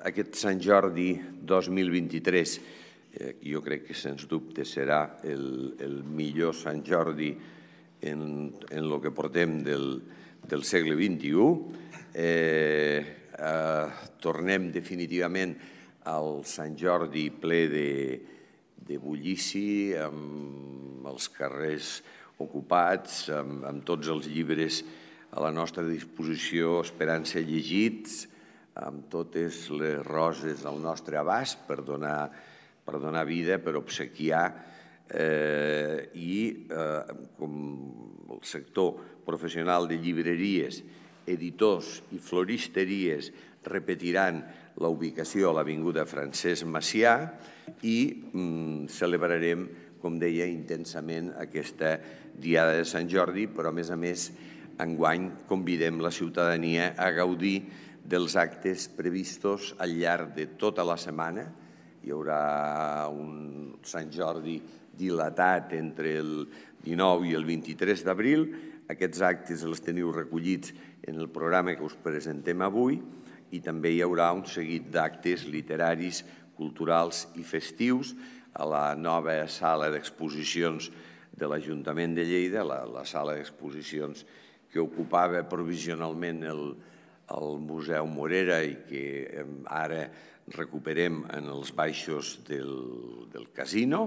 aquest Sant Jordi 2023, jo crec que sens dubte serà el millor Sant Jordi en el que portem del segle XXI. Tornem definitivament al Sant Jordi ple de bullici, amb els carrers ocupats, amb tots els llibres a la nostra disposició esperant ser llegits, amb totes les roses al nostre abast per donar vida, per obsequiar, i com el sector professional de llibreries, editors i floristeries repetiran la ubicació a l'Avinguda Francesc Macià i celebrarem, com deia, intensament aquesta Diada de Sant Jordi, però a més, enguany convidem la ciutadania a gaudir dels actes previstos al llarg de tota la setmana. Hi haurà un Sant Jordi dilatat entre el 19 i el 23 d'abril. Aquests actes els teniu recollits en el programa que us presentem avui i també hi haurà un seguit d'actes literaris, culturals i festius a la nova sala d'exposicions de l'Ajuntament de Lleida, la sala d'exposicions que ocupava provisionalment el Museu Morera i que ara recuperem en els baixos del casino.